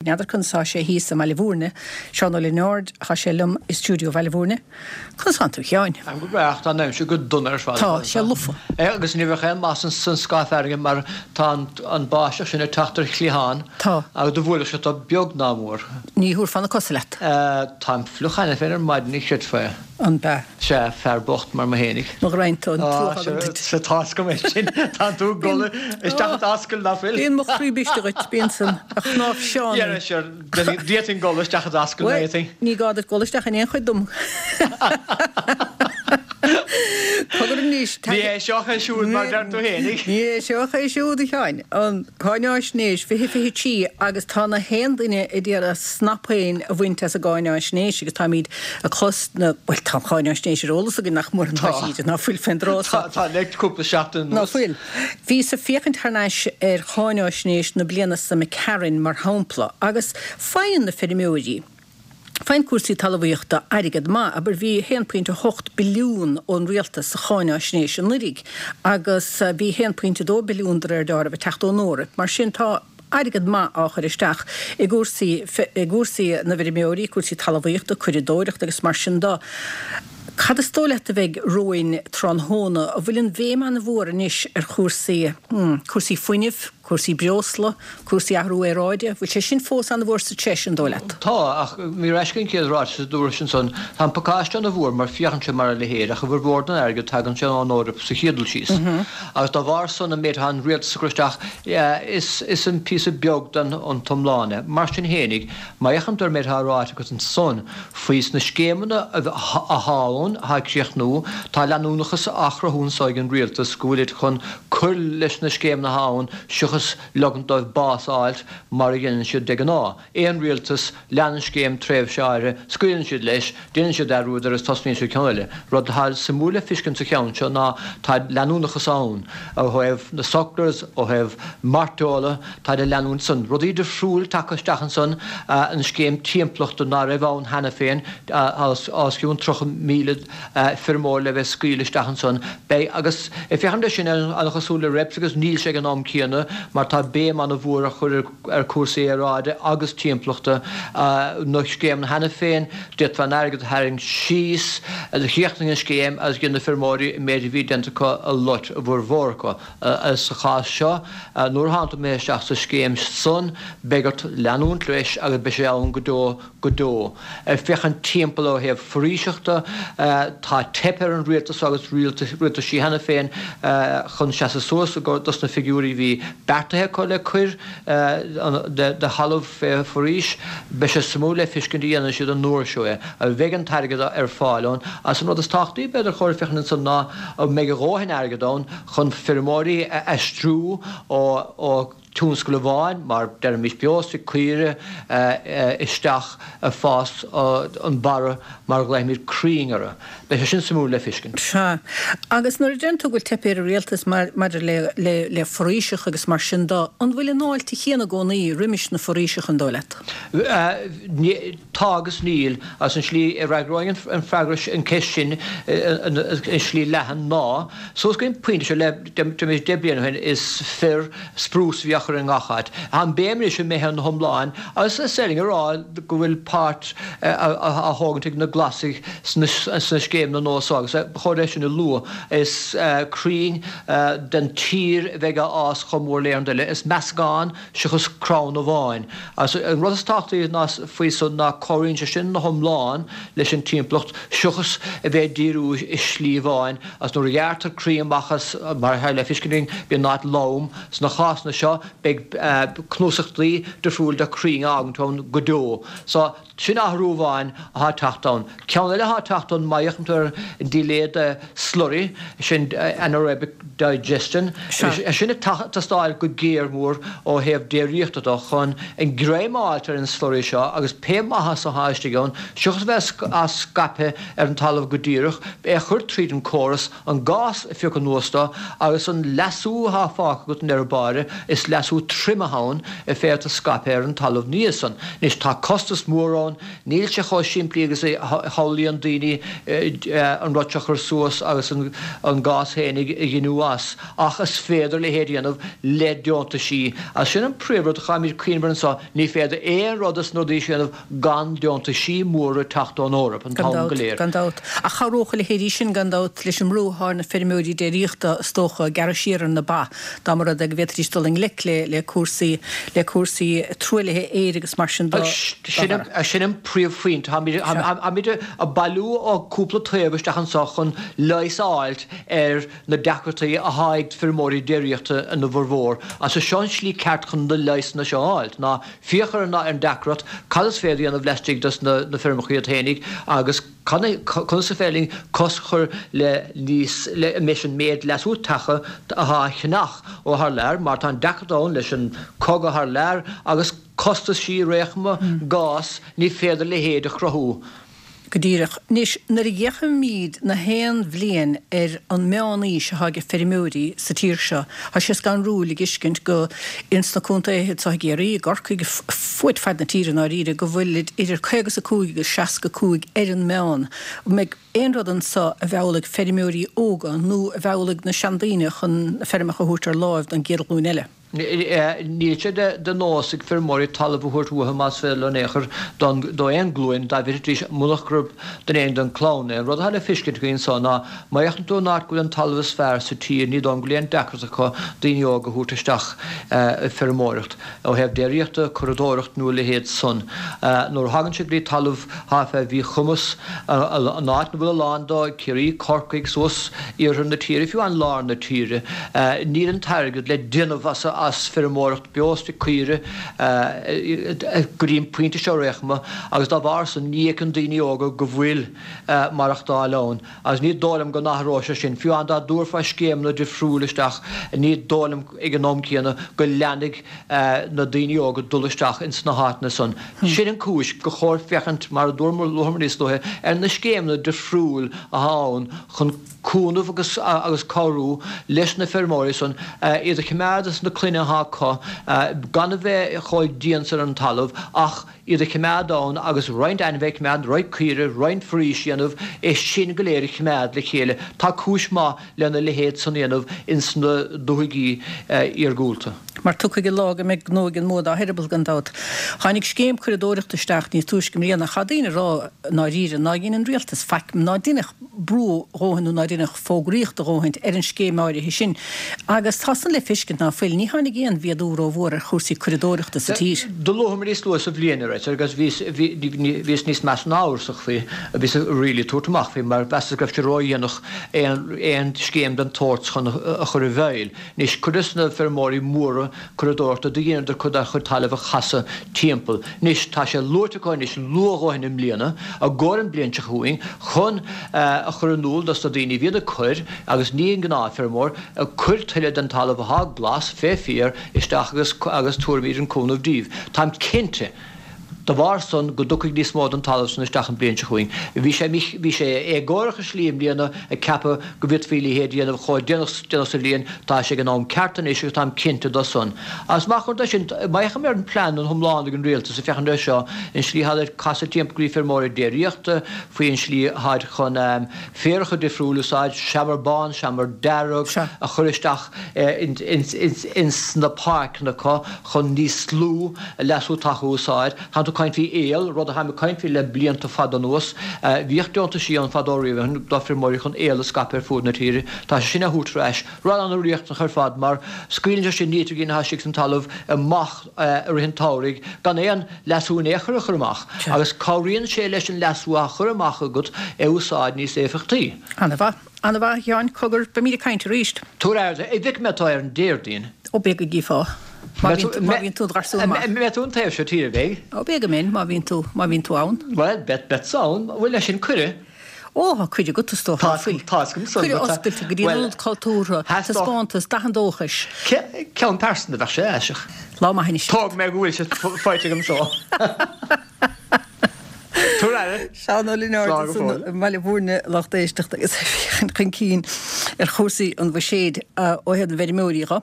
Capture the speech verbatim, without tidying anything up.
N'fheadar conas tá sé thíos i mBaile Bhúirne. Seán Ó Lionáird, tá sé liom i stiúideo Bhaile Bhúirne. Conas tánn tú, a Sheáin? Táim go breá, tá an aimsir go dona ar fad. Tá sé lofa. É agus ní bheadh aon mhaith san scáth fearthainne mar tá an báisteach sin ag teacht ar chliathán. Tá. Agus do bhuailfeadh sé tú beag ná mór. Ní thabharfá na cosa leat. Táim fliuch cheana féin ar maidin, ní chreidfeá é. An b'ea? Sea, fear bocht mar mé fhéinig. Mo ghraidhin tú, an truagh agam duit. Sea, tá 's go mbeidh sin. Tá tú ag dul isteach i d'ascaill, ná fuil? Bíonn mo chroí briste dhuit, bíonn san, a chnámh Sheáin. Dhera, sure, d'fhéadfainn dul isteach i d'ascaill, má fhéadfainn. Ní gá duit dul isteach in aon chuid dom. Cogar anois, Ní hé seo é siúd mar deir tú fhéinig. Ní hé seo é siúd, a Sheáin. An cáináisnéis fiche fiche trí agus tá na haon duine ag iarraidh snapshéan a bhaint as an gcáináisnéis agus táimid ag clos na, bhuel tá an cháináisnéis ar eolas againn nach mór an Tá. tá ná fuil fén dtráth Tá, tá le cúpla seachtain Ná anuas. fuil. Bhíos ag féachaint thar n-ais ar cháináisnéis na bliana seo imigh tharainn mar shampla agus faigheann na feirmeoirí, faigheann cúrsaí talmhaíochta airgead maith, abair bhí a haon pointe a hocht billiún ón rialtas sa cháináisnéis anuraidh agus bhí a haon pointe a dó billiún de réir dealraimh ag teacht ón Eoraip. Mar sin tá airgead maith á chur isteach i gcúrsaí i gcúrsaí na bhfeirmeoirí, cúrsaí talmhaíochta, curadóireachta agus mar sin de. Cad is dóigh leat a bheidh romhainn tráthnóna? An bhfuil an bhéim an-mhór anois ar chúrsaí, hmm, cúrsaí fuinnimh, cúrsaí breosla, cúrsaí athrú aeráide? Bhfuil sé sin fós an-mhór sa treis, an dóigh leat? Tá, ach ní raibh an chéad ráiteas a dúradh ansan. Tá an pacáiste an-mhór mar féachann sé mar a leithéid ach i bhformhór den airgead tagann sé ón Eoraip sa chéad dul síos. Agus dá bharr san an méid atá an rialtas ag cur isteach is is an píosa beag den an t-iomlán é. Mar sin fhéinig, má fhéachann tú ar an méid atá ráite agat ansan faoi sna scéimeanna atá ann, atá ag críochnú, tá leanúnachas á chruthú anso ag an rialtas go bhfuilid chun cur leis na scéimeanna atá ann seachas ligint dóibh bás a fháilt mar a dhéanann siad de ghnáth. Aon rialtas, leanann scéim tréimhse áirithe, scaoileann siad leis, déanann siad dearúd air agus tosnaíonn siad ceann eile. Rud atá suimiúil le fiscint sa cheann seo ná tá leanúnachas ann ó thaobh na sucklers, ó thaobh mairteola, táid ag leanúint san. Rudaí difriúil tagtha isteach ansan, an scéim timpeallachta ná raibh ann cheana féin, os cionn tríocha míle feirmeoir le bheith scaoilte isteach ansan. Beidh, agus ag féachaint air sin an-chosúil le reps agus níl sé ag an am céanna mar tá béim an-mhór á chur ar chúrsaí aeráide agus timpeallachta, na scéimeanna cheana féin, d'fhéadfá an airgead a tharraingt síos, chríochnaigh an scéim agus dhein na feirmeoirí an méid a bhí déanta acu a loit, a bhformhór acu. Sa chás seo, nuair a thánn tú imithe isteach sa scéim san, beidh ort leanúint leis agus beidh sé ann go deo go deo. Ag féachaint timpeall ó thaobh foraoiseachta, tá teipthe ar an rialtas agus rialtaisí cheana féin chun seasamh suas dos na figiúirí a bhí beartaithe acu le cuir de thalamh fé foraois. Beidh sé suimiúil le fiscint an dhéanfaidh siad an uair seo é. An bheidh an t-airgead ar fáil ann? Agus an rud is tábhachtaí b'fhéidir chóir féachaint ansan ná an mbeidh a dhóthain airgead ann chun feirmeoirí a aistriú ó tionscal amháin, mar deirimis beostoic, caoire, isteach ag fás an barra mar a ghlaofaimid crainn orthu. Beidh sé sin suimiúil le fiscint. Sea. Agus nuair a deireann tú go bhfuil teipthe ar an rialtas maidir le le le foraoiseacha agus mar sin de, an bhfuil an fháilte chéanna i gcónaí roimis na foraoiseacha, an dóigh leat? Tá agus níl. Agus an slí a fhreagróinn an freagra, an ceist sin i slí leathan ná, suas go dtí an pointe seo le deich deich bliana ó shin is fir, sprús a bhí á chur i ngach áit. Tá an béim anois imithe ina hiomláin agus is féidir linn a rá go bhfuil páirt á thógaint ag na Glasaigh sna scéimeanna nua seo agus ba chóir é sin a lua. Is crainn den tír a bheidh á fhás chomh mór le aon rud eile. Is meascán seachas crann amháin. Agus an rud is tábhachtaí ná faoi san ná cabhraíonn sé sin ina hiomlán leis an timpeallacht seachas a bheith ag díriú i slí amháin agus nuair a ghearrtar crainn amach as, mar atá le fiscint againn, bíonn an áit lom. Sna cásanna seo beidh cnuasachtaí difriúil de crainn á fhágaint ann go deo. So, sin athrú amháin atá ag teacht ann. Ceann eile atá ag teacht ann, má fhéachann tú ar an delay de slurry, sin anaerobic digestion, é sin ag teastáil go géar mór ó thaobh déiríochta de chun an greim a fháilt ar an slurry seo agus pé maitheas atá istigh ann, seachas a bheith á scaipeadh ar an talamh go díreach, é a chur tríd an córas, an gás a phiocadh anuas de agus an leasú atá fágtha agat i ndeireadh báire, is leasú leasú troim atá ann a féadtar scaipeadh ar an talamh nua san. Anois tá costas mór ann, níl sé chomh simplí agus a shamhlaíonn daoine an rud seo a chur suas agus an gás féinig a ghiniú as, ach is féidir a leithéid a dhéanamh le deontaisí. Agus sin an príomhrud a chaithfimid cuimhneamh air anseo, ní féidir aon rud as na rudaí seo a dhéanamh gan deontaisí móra teacht ón Eoraip, an Gan t-am go dabht, léir. gan dabht. Ach chabhródh a leithéidí sin, gan dabht, leis an mbrú atá ar na feirmeoirí déiríochta, is dócha, gearradh siar ar na ba, dá mba rud é go bhféadfaidís dul i ngleic le le cúrsaí le cúrsaí truaillithe aeir agus mar sin dá Sin bharr. sin an príomhphointe. Táimid táimid ag bailiú ó cúpla taobh isteach anseo chun leigheas a fháilt ar na deacrachtaí atá ag feirmeoirí déiríochta ina bhformhór. Agus seo an slí ceart chun na leigheasanna seo a fháilt, ná féach ar an deacracht, cad is féidir a dhéanamh laistigh dos na feirmeacha iad fhéinig agus conas is féidir linn cosc a chur le níos leis an méid leasú taca atá á cheannach ó thar lear mar tá an deacracht ann leis an cogadh thar lear agus costaisí réchma gás ní féidir a leithéid a chruthú. Go díreach. Anois, nuair a fhéachaimid na haon bhliain ar an meán-aois atá ag feirmeoirí sa tír seo, tá sé scanrúil a dh'fheiscint go ins na contaetha anseo i gCiarraí, i gCorcaigh, fuaid fad na tíre i ndáiríre, go bhfuilid idir caoga is a cúig agus seasca cúig ar an meán. An mbeidh aon rud anseo a mheallfaidh feirmeoirí óga nó a mheallfaidh na seandaoine chun na feirmeacha a thabhairt ar láimh don gcéad ghlúin eile? Níl sé de nós ag feirmeoirí talamh a thabhairt uathu más féidir leo in aon chor do aon ghlúin dá bhféadfaidís munach gurb don aon den chlann é. An rud atá le feiscint againn anso ná má fhéachann tú an áit go bhfuil an talamh is fearr sa tír ní dóigh liom go bhfuil aon deacracht acu daoine óga a thabhairt isteach ag feirmeoireacht ó thaobh déiríochta, curadóireacht nó a leithéid san. Nuair a thagann sé go dtí talamh atá fé mhíchumas, an áit ina bhfuil a lán de, Ciarraí, Corcaigh, suas iarthar na tíre, fiú amháin lár na tíre, níl an t-airgead le déanamh as as feirmeoireacht beostoic caoire go dtí an pointe seo ar aon chuma agus dá bharr san ní fheiceann daoine óga go bhfuil maireachtáil ann agus ní dóigh liom go n-athróidh sé sin. Fiú amháin dá dtabharfá scéimeanna difriúil isteach ní dóigh liom ag an am céanna go leanfaidh na daoine óga dul isteach ins na háiteanna san. Sin an cúis gur chóir féachaint, mar a dúramar níos luaithe, ar na scéimeanna difriúil atá ann chun cúnamh agus agus cabhrú leis na feirmeoirí san iad a choimeád is na clainne atá acu gan a bheith chomh dian san ar an talamh ach iad a choimeád ann agus roinnt ainmhithe a choimeád, roinnt caoire, roinnt foraois a dhéanamh, é sin go léir a choimeád le chéile. Tá cúis maith lena leithéid san a dhéanamh ins na dúthaigí iargúlta. Mar tiocfaidh an lá go mbeidh gnó ag an mbua dá heireaball, gan dabht. Tháinig scéim curadóireachta isteach níos túisce i mbliana. Tá daoine ag rá i ndáiríre ná dhein an rialtas faic, ná deineadh brú a dhóthain nó ná deineadh fógraíocht a dhóthaint ar an scéim áirithe sin. Agus tá san le feiscint ná fuil. Ní tháinig aon mhéadú rómhór ar chúrsaí curadóireachta sa tír. Do luamar níos luaithe sa bhliain, a raibh, agus bhíos, bhí, bhíos níos measa ná amhrasach faoi, bhíos really ag tabhairt amach faoi mar mheasas go raibh sé ródhéanach aon, aon scéim den tsórt chun a chur i bhfeighil. Anois, cuid des na feirmeoirí móra curadóireachta do dheineadar cuid dá chuid talaimh a chasadh timpeall. Anois, tá sé luaite acu anois luath a dhóthain i mbliana, i gcomhair an bliain seo chugainn, chun a chur in iúl dos na daoine a bhíonn ag cur, agus ní an gnáthfheirmeoir, cuir tuilleadh den talamh athá glas, fé féar, isteach agus agus tabharfaimid an cúnamh díbh. Táim cinnte, dá bharr san, go dtiocfaidh níos mó den talamh san isteach an bliain seo chugainn. Bhí sé bhí sé éagórach i slí i mbliana ag ceapadh go bhféadfaí a leithéid a dhéanamh chomh déanach déanach sa bhliain. Tá sé ag an am ceart anois agus táim cinnte do san. Agus mar chuid de sin, má fhéachaim ar an plean an iomlán ag an rialtas ag féachaint air seo, an slí athá le casadh timpeall go dtí feirmeoirí déiríochta, faoi an slí athá chun féaracha difriúil a úsáid, seamair bán, seamair dearg, a chur isteach ins na páirceanna acu chun níos lú leasú taca a úsáid. Tá tú ag caint faoi aol, rud a tháim ag caint faoi le blianta fada anuas. Bhíodh deontaisí ann fadó riamh do feirmeoirí chun aol a scaipeadh ar fuaid na tíre. Tá sé sin á thabhairt ar ais. Rud an-riachtanach ar fad mar scaoileann sé sin nítrigin atá istigh san talamh amach i rith an tsamhraidh gan aon leasú in aon chor a chur amach agus cabhraíonn sé leis an leasú á chur amach agat a úsáid níos éifeachtaí. Ana-mhaith. Ana-mhaith, a Sheáin. Cogar, beimid ag caint arís. Tabhair aire, a mhic, mbeidh tú ar an Déardaoin. Ó, beidh go gcífeá. Má bhíonn, má bhíonn tú id gharsún maith. Mbeidh tú an taobh seo tíre, beidh? Ó, beidh go mbeinn, má bhíonn tú, má bhíonn tú ann. Bhuel, beidh, beadsa ann. Bhfuil leis sin cuireadh? Ó, tá cuireadh agat, is dócha. Tá, tá 'fhios agam san. Cuireadh oscailte go dtí an Ionad Cultúrtha, taispeántas, Dath an Dóchais. Ceann pearsanta bheadh sé aiseach. Lá maith anois. Tóg mé go bhfuil sé faighte agam so. Tabhair aire. Seán Ó Lionáird ansan i mBaile Bhúirne, lucht éisteachta agus ag féachaint chun cinn ar chúrsaí an bhuiséid ó thaobh na bhfeirmeoirí dho.